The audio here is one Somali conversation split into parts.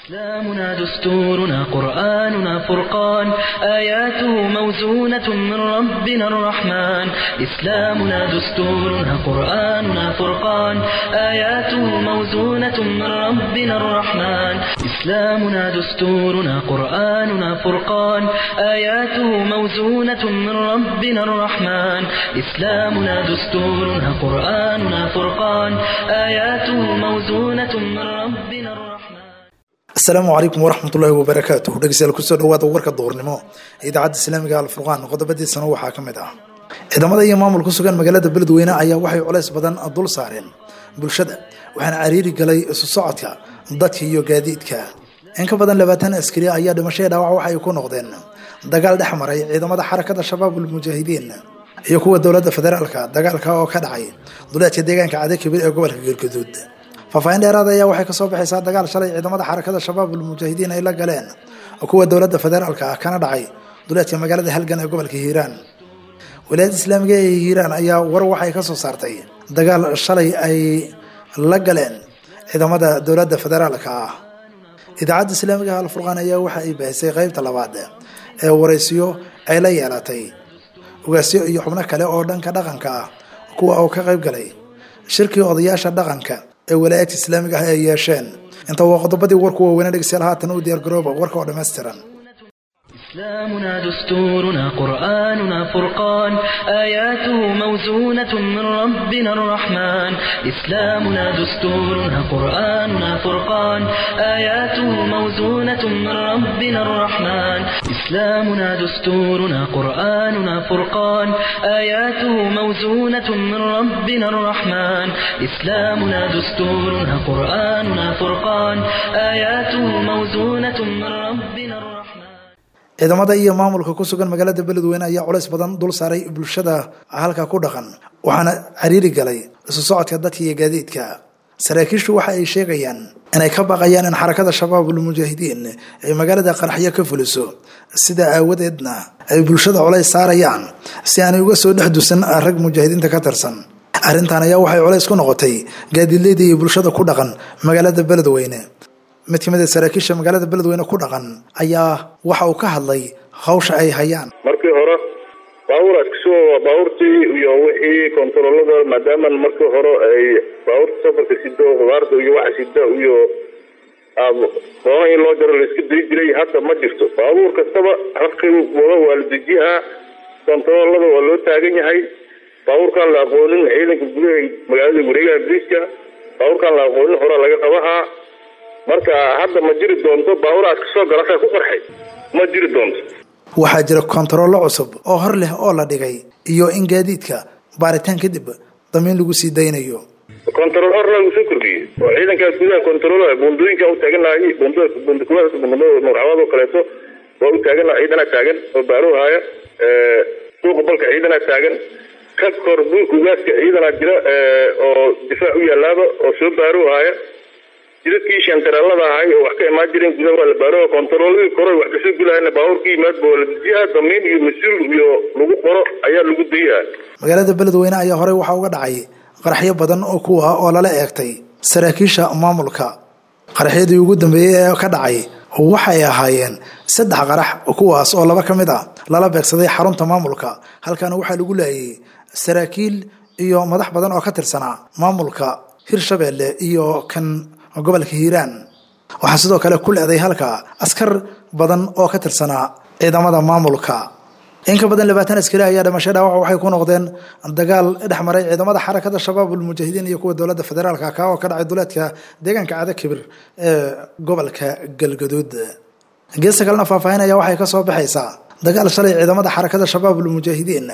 إسلامنا دستورنا قرآننا فرقان آياته موزونة من ربنا الرحمن إسلامنا دستورنا قرآننا فرقان آياته موزونة من ربنا الرحمن إسلامنا دستورنا قرآننا فرقان آياته موزونة من ربنا الرحمن إسلامنا دستورنا قرآننا فرقان آياته موزونة من ربنا الرحمن. Asalaamu calaykum waraxmatullaahi wabarakaatuh. Dhegeystayaal, kusoo dhawaada warka duhurnimo idaacadda Islaamiga Alfurqaan. Qodobadiisana waxaa ka mid ah: ciidamada iyo maamul ku sugan magaalada Beledweyne ayaa waxay culays badan dul saareen bulshada, waxaana cariiri galay isu socodka dadka iyo gaadiidka. In ka badan 20 askari ayaa dhimasho dhaawac waxay ku noqdeen dagaal dhex maray ciidamada Xarakada Shabaabul Mujaahidiin iyo kuwa dowladda federaalka, dagaalka oo ka dhacay duleedka deegaanka Cadakibir ee gobolka Galgaduud. Faahfaahin dheeraad ayaa waxay kasoo baxaysaa dagaal shalay ciidamada Xarakada Shabaabul Mujaahidiin ay la galeen kuwa dowladda federaalka ah, kana dhacay duleedka magaalada Halgan ee gobolka Hiiraan. Wilaayadda Islaamiga ee Hiiraan ayaa war waxay kasoo saartay dagaal shalay ay la galeen ciidamada dowladda federaalka ah. Idaacadda Islaamiga Alfurqaan ayaa waxa ay baahisay qeybta labaad ee waraysiyo ay la yeelatay ugaasyo iyo xubno kale oo dhanka dhaqanka ah, kuwa oo ka qayb galay shirkii odayaasha dhaqanka ee walaayadka Islaamiga ah ay yeesheen. Inta waa qodobadii warku waaweyna. Dhegeystayaal, haatan u diyaar garooba warka oo dhammaystiran. إسلامنا دستورنا قرآننا فرقان آياته موزونة من ربنا الرحمن إسلامنا دستورنا قرآننا فرقان آياته موزونة من ربنا الرحمن إسلامنا دستورنا قرآننا فرقان آياته موزونة من ربنا الرحمن إسلامنا دستورنا قرآننا فرقان آياته موزونة من ربنا الرحمن. Ciidamada iyo maamulka ku sugan magaalada Beledweyne ayaa culays badan dul saaray bulshada halka ku dhaqan, waxaana cariiri galay isu socodka dadka iyo gaadiidka. Saraakiishu waxa ay sheegayaan inay ka baqayaan in Xarakada Shabaabul Mujaahidiin ay magaalada qaraxyo ka fuliso, sida aawadeedna ay bulshada culays saarayaan si aanay uga soo dhex dusan rag mujaahidiinta ka tirsan. Arrintan ayaa waxay culays ku noqotay gaadiidleyda iyo bulshada ku dhaqan magaalada Beledweyne. Mid ka mid a saraakiisha magaalada Beledweyne ku dhaqan ayaa waxa uu ka hadlay hawsha ay hayaan. Markii hore baabuur askasoo baabuurtii iyo wixii kontaroolada, maadaama markii hore ay baabuurta safarka sido, khudaarta iyo waxa sida iyo doona in loo jaro la iska dayi jiray, hadda ma jirto. Baabuur kastaba halkii wado waa la dejiyaa, kontaroolada waa loo taagan yahay. Baabuurkaan la aqoonin, ciidanka gudaha magaalada wareegaha boliiska, baabuurkaan la aqoonin horaa laga qabahaa. Marka hadda ma jiri doonto baabuuraas kasoo galasaa ku qarxay, ma jiri doonto. Waxaa jira kontarollo cusub oo hor leh oo la dhigay iyo in gaadiidka baaritaan kadib damiin lagu sii daynayo. Kontarool hor lagu soo kordhiyey oo ciidankaas gudaha kontarool buundooyinka u taagan lahay, buundada Nuurcawaad oo kaleeto waa u taagan laha, ciidanaa taagan oo baaroo haaya. Suuqa balka ciidanaa taagan, ka kor buurka ugaaska ciidanaa jira oo difaac u yaalaaba oo soo baaroo haaya. Jidadkii shantaraalada ahay oo wax ka imaan jireen gudaha waa la baaro. Kontarooladii kore wax kasoo gulahayna baabuurkii yimaadba waa la dejiyaa, damiin iyo mas-uul iyo lagu qoro ayaa lagu dayaa. Magaalada Beledweyne ayaa horey waxaa uga dhacay qaraxyo badan oo kuwa oo lala eegtay saraakiisha maamulka. Qaraxyadii ugu dambeeyey ee ka dhacay waxay ahaayeen 3 qarax, kuwaas oo 2 ka mid ah lala beegsaday xarunta maamulka, halkaana waxaa lagu laayay saraakiil iyo madax badan oo ka tirsanaa maamulka Hirshabeelle iyo kan gobolka Hiiraan. Waxaa sidoo kale ku leeday halka askar badan oo ka tirsanaa ciidamada maamulka. In ka badan 20 askari ayaa dhimasho dhaawac waxay ku noqdeen dagaal dhex maray ciidamada Xarakada Shabaabul Mujaahidiin iyo kuwa dowladda federaalka, ka oo ka dhacay duleedka deegaanka Cada Kibir ee gobolka Galgaduud. Geesta kalena, faahfaahin ayaa waxay kasoo baxaysaa dagaal shalay ciidamada Xarakada Shabaabul Mujaahidiin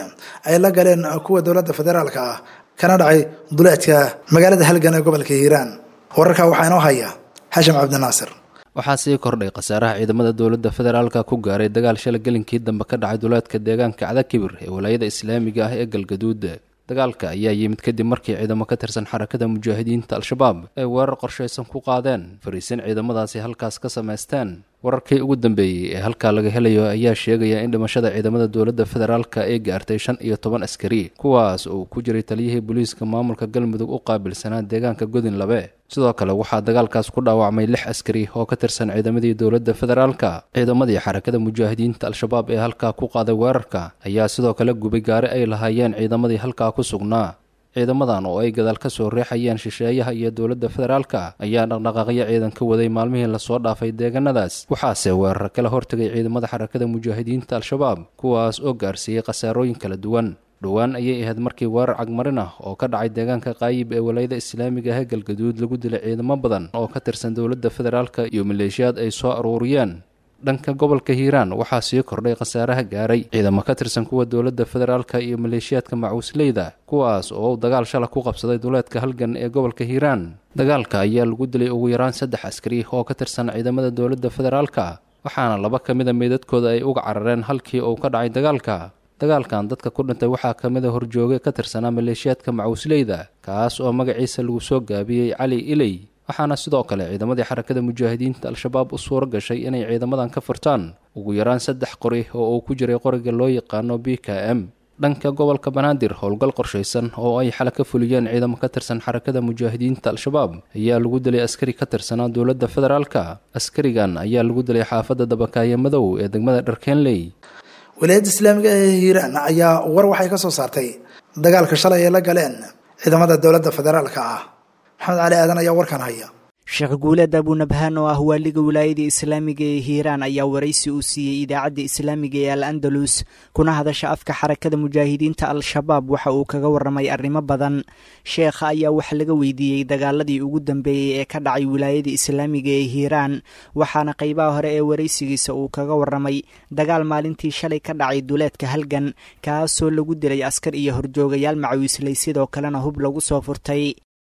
ay la galeen kuwa dowladda federaalka ah, kana dhacay duleedka magaalada Halgan ee gobolka Hiiraan. Wararka waxaa inoo haya Xashim Cabdinaasir. Waxaa sii kordhay khasaaraha ciidamada dowladda federaalka ku gaaray dagaal shalay gelinkii dambe ka dhacay duleedka deegaanka Cadakibir ee walaayada Islaamiga ah ee Galgaduud. Dagaalka ayaa yimid kadib markii ciidamo ka tirsan Xarakada Mujaahidiinta Al-Shabaab ay weerar qorshaysan ku qaadeen fariisin ciidamadaasi halkaas ka samaysteen. Wararkii ugu dambeeyey ee halkaa laga helayo ayaa sheegaya in dhimashada ciidamada dowladda federaalka ay gaartay 15 askari, kuwaas oo ku jiray taliyihii booliiska maamulka Galmudug u qaabilsanaa deegaanka Godin Labe. Sidoo kale waxaa dagaalkaas ku dhaawacmay 6 askari oo ka tirsan ciidamadii dowladda federaalka. Ciidamadii Xarakada Mujaahidiinta Al-Shabaab ee halkaa ku qaaday weerarka ayaa sidoo kale gubay gaari ay lahaayeen ciidamadii halkaa ku sugnaa. Ciidamadan oo ay gadaal ka soo riixayeen shisheeyaha iyo dowladda federaalka ayaa dhaqdhaqaaqyo ciidan ka waday maalmihii lasoo dhaafay deegaanadaas, waxaase weerar kala hortegay ciidamada Xarakada Mujaahidiinta Al-Shabaab, kuwaas oo gaarsiiyey khasaarooyin kala duwan. Dhowaan ayay ahayd markii weerar cagmarin ah oo ka dhacay deegaanka Qaayib ee walaayada islaamiga ah Galgaduud lagu dilay ciidamo badan oo ka tirsan dowladda federaalka iyo maleeshiyaad ay soo aruuriyeen. Dhanka gobolka Hiiraan waxaa sii kordhay khasaaraha gaaray ciidamo ka tirsan kuwa dowladda federaalka iyo maleeshiyaadka macuusleyda, kuwaas oo dagaal shala ku qabsaday duleedka Halgan ee gobolka Hiiraan. Dagaalka ayaa lagu dilay ugu yaraan 3 askari oo ka tirsan ciidamada dowladda federaalka, waxaana 2 ka mida meydadkooda ay uga carareen halkii uu ka dhacay dagaalka. Dagaalkan dadka ku dhintay waxaa ka mid a horjooge ka tirsanaa maleeshiyaadka macuusleyda, kaas oo magaciisa lagu soo gaabiyey Cali Iley, waxaana sidoo kale ciidamadii Xarakada Mujaahidiinta Al-Shabaab u suuro gashay inay ciidamadan ka furtaan ugu yaraan 3 qori oo uu ku jiray qoriga loo yaqaano BKM. Dhanka gobolka Banaadir, howlgal qorshaysan oo ay xala ka fuliyeen ciidamo ka tirsan Xarakada Mujaahidiinta Al-Shabaab ayaa lagu dilay askari ka tirsanaa dowladda federaalka. Askarigan ayaa lagu dilay xaafadda Dabakaaye Madow ee degmada Dharkeenley. Wilaayadda islaamiga ee Hiiraan ayaa war waxay ka soo saartay dagaalka shalay ay la galeen ciidamada dowladda federaalka ah. Maxamed Cali Aadan ayaa warkan haya. Sheekh Guuleed Abunabhaan oo ah waaliga wilaayada islaamiga ee Hiiraan ayaa waraysi uu siiyey idaacadda islaamiga ee Al Andalus kuna hadasha afka Xarakada Mujaahidiinta Al-Shabaab waxa uu kaga warramay arrimo badan. Sheekha ayaa wax laga weydiiyey dagaaladii ugu dambeeyey ee ka dhacay wilaayada islaamiga ee Hiiraan, waxaana qaybaha hore ee waraysigiisa uu kaga warramay dagaal maalintii shalay ka dhacay duleedka Halgan, kaasoo lagu dilay askar iyo horjoogayaal macawiislay, sidoo kalena hub lagu soo furtay.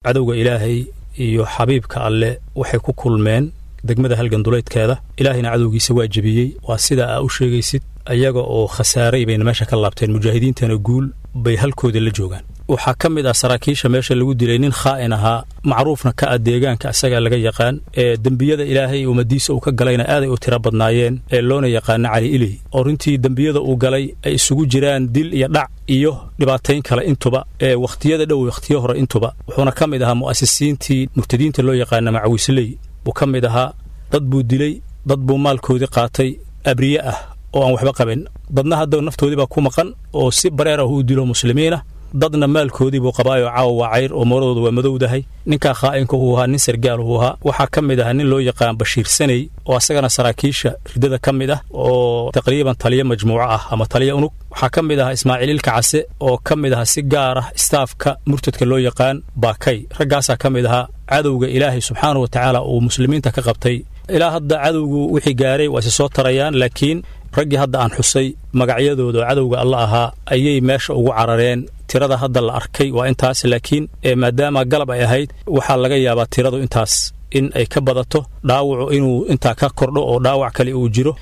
Cadowga Ilaahay iyo xabiibka Alle waxay ku kulmeen degmada Halgan duleydkeeda. Ilaahayna cadowgiisa waa jebiyey. Waa sida aa u sheegaysid, ayaga oo khasaaray bayna meesha ka laabteen, mujaahidiintana guul bay halkooda la joogaan. Waxaa ka mid ah saraakiisha meesha lagu dilay nin khaa'in ahaa, macruufna ka ah deegaanka, isagaa laga yaqaan. Ee dembiyada Ilaahay ummadiisa uu ka galayna aaday u tiro badnaayeen, ee loona yaqaano Cali Iley, oo runtii dembiyada uu galay ay isugu jiraan dil iyo dhac iyo dhibaatayn kale intuba, ee wakhtiyada dhow wakhtiyo hore intuba. Wuxuuna ka mid ahaa mu'asisiintii murtadiinta loo yaqaana Macawisley buu ka mid ahaa. Dad buu dilay, dad buu maalkoodii qaatay abriye ah oo aan waxba qabin, dadna hadda naftoodii baa ku maqan oo si bareer ah u dilo muslimiinah, dadna maalkoodii buu qabaayoo caawa waa cayr oo mooradooda waa madowdahay. Ninkaa khaa'inka uu ahaa nin sargaal uu ahaa. Waxaa ka mid ah nin loo yaqaan Bashiir Saney oo asagana saraakiisha riddada ka mid ah oo taqriiban taliya majmuuco ah ama taliya unug. Waxaa ka mid ah Ismaaciil Ilka Case oo ka mid ah si gaar ah istaafka murtadka loo yaqaan Baakay. Raggaasaa ka mid ahaa cadowga Ilaahay subxaanahu wa tacaala uu muslimiinta ka qabtay. Ilaa hadda cadowgu wixii gaaray waa isi soo tarayaan, laakiin raggii hadda aan xusay magacyadooda oo cadowga Alla ahaa ayay meesha ugu carareen. Tirada hadda la arkay waa intaas, laakiin maadaama galab ay ahayd waxaa laga yaabaa tiradu intaas in ay ka badato, dhaawacu inuu intaa ka kordho oo dhaawac kale uu jiro.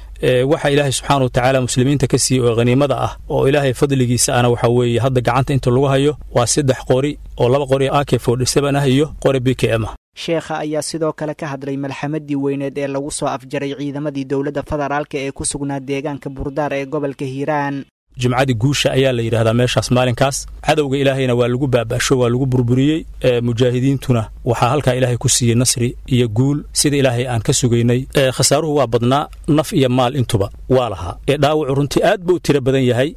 Waxa Ilaahay subxaana wa tacaala muslimiinta ka siiyey oo haniimada ah oo Ilaahay fadligiisa ana waxaa weeye hadda gacanta inta lagu hayo waa 3 qori oo 2 qori AK 47 ah iyo qori BKM ah. Sheekha ayaa sidoo kale ka hadlay malxamadii weyneed ee lagu soo afjaray ciidamadii dowladda federaalka ee ku sugnaa deegaanka Burdaar ee gobolka Hiiraan. Jimcadii guusha ayaa la yidhaahdaa meeshaas maalinkaas. Cadowga Ilaahayna waa lagu baaba'sho, waa lagu burburiyey. Mujaahidiintuna waxaa halkaa Ilaahay ku siiyey nasri iyo guul sida Ilaahay aan ka sugaynay. Khasaaruhu waa badnaa, naf iyo maal intuba waa lahaa. Dhaawacu runtii aad buu u tiro badan yahay,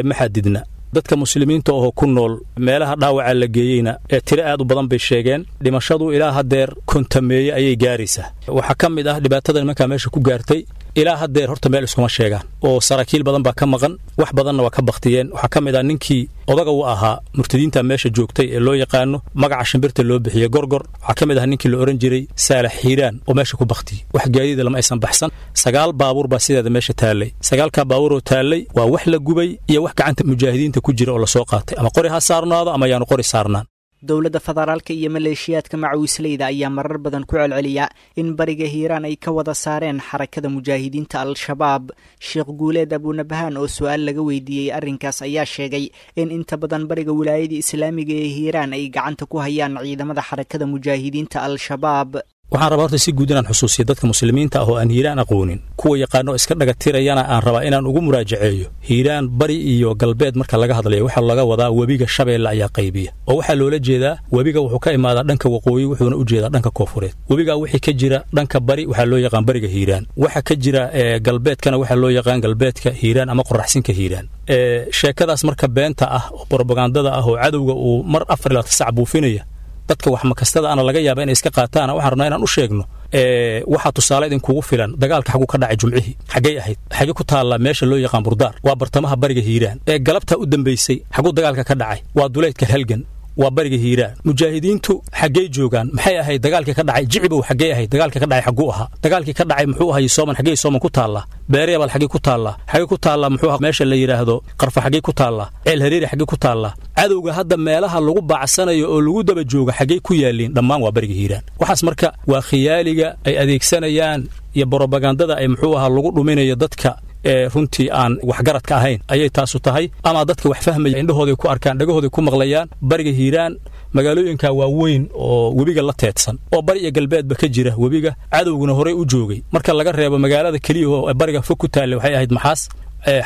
ma xadidna. Dadka muslimiinta oo ku nool meelaha dhaawaca la geeyeyna ee tiro aad u badan bay sheegeen. Dhimashadu ilaa haddeer 50meeye ayay gaaraysaa. Waxaa ka mid ah dhibaatada nimankaa meesha ku gaartay, ilaa haddeer horta meel iskuma sheegaan oo saraakiil badan baa ka maqan, wax badanna waa ka baktiyeen. Waxaa ka mid ah ninkii odaga u ahaa murtadiinta meesha joogtay ee loo yaqaano magaca shimbirta loo bixiyey Gorgor. Waxaa ka mid ah ninkii la ohan jiray Saalax Hiiraan oo meesha ku baktiyey. Wax gaadiida lama aysan baxsan. 9 baabuur baa sideeda meesha taallay. 9ka baabuuroo taallay waa wax la gubay iyo wax gacanta mujaahidiinta ku jira oo lasoo qaatay, ama qori ha saarnaado ama yaanu qori saarnaan. Dowladda federaalka iyo maleeshiyaadka macawisleyda ayaa marar badan ku celceliya in bariga Hiiraan ay ka wada saareen Xarakada Mujaahidiinta Al-Shabaab. Sheekh Guuleed Abunabhaan oo su-aal laga weydiiyey arrinkaas ayaa sheegay in inta badan bariga wilaayada islaamiga ee Hiiraan ay gacanta ku hayaan ciidamada Xarakada Mujaahidiinta Al-Shabaab. Waxaan rabaa horta si guud inaan xusuusiyo dadka muslimiinta ah oo aan Hiiraan aqoonin, kuwa yaqaano iska dhagatirayana aan rabaa inaan ugu muraajaceeyo. Hiiraan bari iyo galbeed marka laga hadlayo waxaa laga wadaa webiga Shabeelle ayaa qaybiya, oo waxaa loola jeedaa webiga wuxuu ka imaadaa dhanka waqooyi, wuxuuna u jeedaa dhanka koonfureed. Webigaa wixii ka jira dhanka bari waxaa loo yaqaan bariga Hiiraan, waxa ka jira galbeedkana waxaa loo yaqaan galbeedka Hiiraan ama qoraxsinka Hiiraan. Sheekadaas marka beenta ah oo brobagandada ah oo cadowga uu mar 24 sac buufinaya, dadka wax makastada ana laga yaaba inay iska qaataan, waxaan rabnaa inaan u sheegno waxaa tusaale idinkugu filan dagaalka xaguu ka dhacay Jumcihii, xaggay ahayd, xagee ku taallaa meesha loo yaqaan Burdaar? Waa bartamaha bariga Hiiraan. Ee galabtaa u dambaysay xaguu dagaalka ka dhacay? Waa duleydka Halgan, waa bariga Hiiraan. Mujaahidiintu xaggey joogaan? Maxay ahayd dagaalkii ka dhacay Jicibow? Xaggey ahayd dagaalkii ka dhacay? Xagguu ahaa dagaalkii ka dhacay? Muxuu ahay Sooman? Xaggey Sooman ku taallaa? Beereebal xaggey ku taallaa? Xaggey ku taallaa muxuu ahaa meesha la yidhaahdo Qarfa? Xaggey ku taallaa? Ceel Hareeri xaggey ku taallaa? Cadowga hadda meelaha lagu baacsanayo oo lagu daba jooga xaggey ku yaalliin? Dhammaan waa bariga Hiiraan. Waxaas marka waa khiyaaliga ay adeegsanayaan iyo borobagandada ay muxuu ahaa lagu dhuminayo dadka ee runtii aan waxgaradka ahayn ayay taasu tahay, ama dadka wax fahmaya indhahooday ku arkaan, dhagahooday ku maqlayaan. Bariga Hiiraan magaalooyinka waaweyn oo webiga la teedsan oo bari iyo galbeedba ka jira webiga, cadowguna horey u joogay, marka laga reebo magaalada keliya oo bariga fog ku taallay, waxay ahayd Maxaas,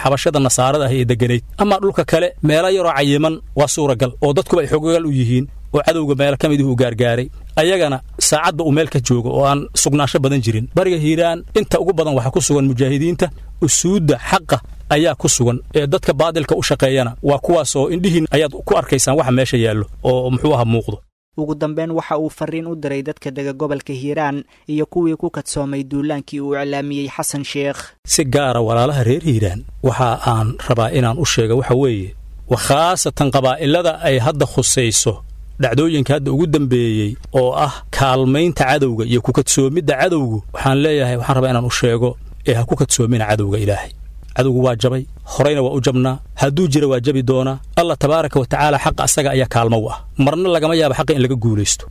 xabashada nasaarada ah ee deganayd. Ama dhulka kale meelo yaroo cayiman waa suuragal oo dadkuba ay xogogal u yihiin oo cadowga meelo ka midih uu gaargaaray, ayagana saacadba uu meel ka joogo oo aan sugnaansho badan jirin. Bariga Hiiraan inta ugu badan waxaa ku sugan mujaahidiinta, usuudda xaqa ayaa ku sugan, ee dadka baadilka u shaqeeyana waa kuwaasoo indhihiin ayaad ku arkaysaan waxa meesha yaallo oo muxuu aha muuqdo. Ugu dambeyn waxa uu fariin u diray dadka dega gobolka Hiiraan iyo kuwii ku kadsoomay duulaankii uu iclaamiyey Xasan Sheekh. Si gaara walaalaha reer Hiiraan waxa aan rabaa inaan u sheega waxa weeye, wa khaasatan qabaa'ilada ay hadda khusayso dhacdooyinka hadda ugu dambeeyey oo ah kaalmaynta cadowga iyo ku kadsoomidda cadowgu, waxaan leeyahay, waxaan rabaa inaan u sheego ee ha ku kadsoomina cadowga Ilaahay. Cadowgu waa jabay, horeyna waa u jabnaa, hadduu jira waa jabi doonaa. Allah tabaaraka wa tacaala xaqa asaga ayaa kaalmo u ah, marna lagama yaabo xaqa in laga guulaysto.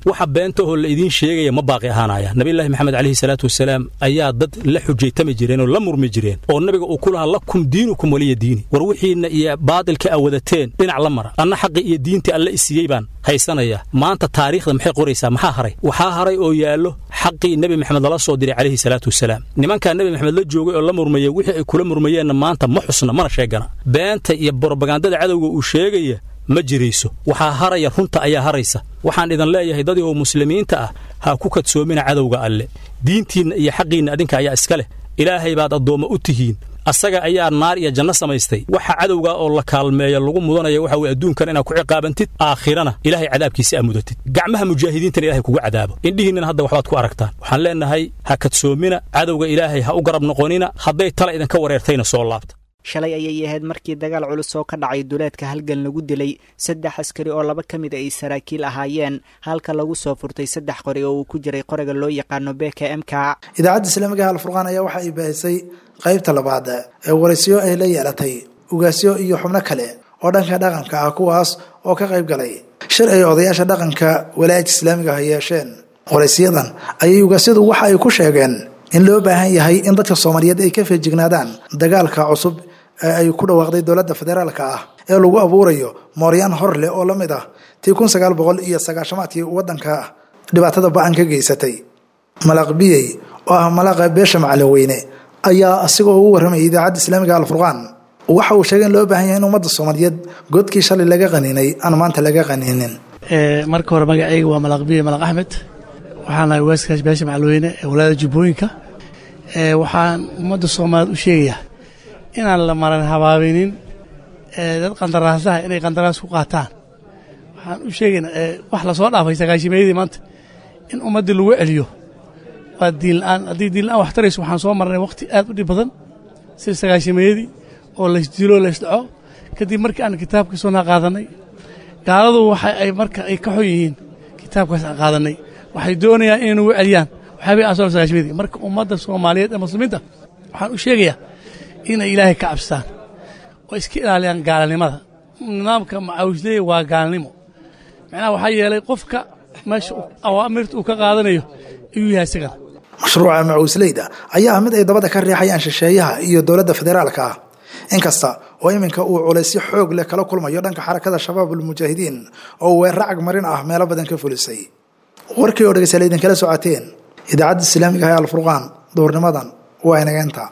Waxa beenta oo la idiin sheegaya ma baaqi ahaanaya. Nabiyullaahi Maxamed calayhi salaatu wasalaam ayaa dad la xujaytami jireen oo la murmi jireen oo nabiga uu ku lahaa lakum diinukum waliya diini, war wixiinna iyo baadilka aa wadateen dhinac la mara, anna xaqi iyo diintii Alle isiiyey baan haysanaya. Maanta taariikhda maxay qoraysaa? Maxaa haray? Waxaa haray oo yaallo xaqii Nebi Maxamed lala soo diray calayhi salaatu wasalaam. Nimankaa Nebi Maxamed la joogay oo la murmayay, wixii ay kula murmayeenna maanta ma xusna mana sheegana. Beenta iyo borobagandada cadowga uu sheegaya ma jirayso, waxaa haraya runta ayaa haraysa. Waxaan idin leeyahay dadihoo muslimiinta ah, ha ku kadsoomina cadowga Alle. Diintiinna iyo xaqiinna adinka ayaa iska leh, Ilaahay baad addoommo u tihiin, asaga ayaa naar iyo janno samaystay. Waxa cadowgaa oo la kaalmeeya lagu mudanaya waxa weye adduunkan inaad ku ciqaabantid, aakhirana Ilaahay cadaabkiisa aa mudatid, gacmaha mujaahidiintana Ilahay kugu cadaabo. Indhihiinnana hadda waxbaad ku aragtaan. Waxaan leenahay ha kadsoomina cadowga Ilaahay, ha u garab noqonina, hadday tala idinka wareertayna soo laabta. Shalay ayay ahayd markii dagaal culus oo ka dhacay duleedka Halgan lagu dilay 3 askari oo laba ka mid ay saraakiil ahaayeen, halka lagu soo furtay 3 qori oo uu ku jiray qoriga loo yaqaano BKMK. Idaacadda Islaamiga Alfurqaan ayaa waxa ay baahisay qaybta labaad ee waraysiyo ay la yeelatay ugaasyo iyo xubno kale oo dhanka dhaqanka ah, kuwaas oo ka qayb galay shir ay odayaasha dhaqanka walaayadka islaamiga ah yeesheen. Waraysiyadan ayay ugaasyadu waxa ay ku sheegeen in loo baahan yahay in dadka Soomaaliyeed ay ka feejignaadaan dagaalka cusub ee ay ku dhawaaqday dowladda federaalka ah ee lagu abuurayo mooryaan hor leh oo la mid ah tii 1990-aadkii waddanka dhibaatada ba-an ka geysatay. Malaaq Biyey oo ah malaaqa beesha Macalin Weyne ayaa asigoo ugu warramayay Idaacadda Islaamiga Alfurqaan waxa uu sheegay in loo baahan yahay in ummadda Soomaaliyeed godkii shalay laga qaniinay aan maanta laga qaniinin. Marka hore magacayga waa Malaaq Biyey Malaaq Axmed, waxaan ahay waaskaas beesha Macalweyne ee walaayada Jubbooyinka. Waxaan ummadda Soomaaliyeed u sheegayaa inaan la maran habaabinin dad qandaraasaha inay qandaraas ku qaataan. Waxaan u sheegaynaa wax lasoo dhaafay sagaashimeeyadii maanta in ummaddii lagu celiyo waa diin la'aan. Haddii diin la'aan wax tarayso, waxaan soo marnay waqti aad u dhib badan sida sagaashimeeyadii oo laysdilo, laysdhaco. Kadib markii aan kitaabka sunnaa qaadanay, gaaladu waxa ay marka ay ka xun yihiin kitaabkaas aan qaadanay, waxay doonayaan inay nagu celiyaan waxyaabihii aan soo sagaashimeeyadii. Marka ummadda Soomaaliyeed ee muslimiinta waxaan u sheegayaa inay Ilaahay ka cabstaan oo iska ilaaliyaan gaalnimada. Nidaamka macawisleey waa gaalnimo, macnaha waxaa yeelay qofka meesha awaamirta uu ka qaadanayo ayuu yahay isagana. Mashruuca macuusleyda ayaa ah mid ay dabada ka riixayaan shisheeyaha iyo dowladda federaalka ah, inkasta oo iminka uu culaysyo xoog leh kala kulmayo dhanka Xarakada Shabaab Almujaahidiin oo weeraro cagmarin ah meelo badan ka fulisay. Warkii oo dhegeystayaal idinkala socoteen idaacadda islaamiga ah ee Alfurqaan duhurnimadan waa inaga intaa.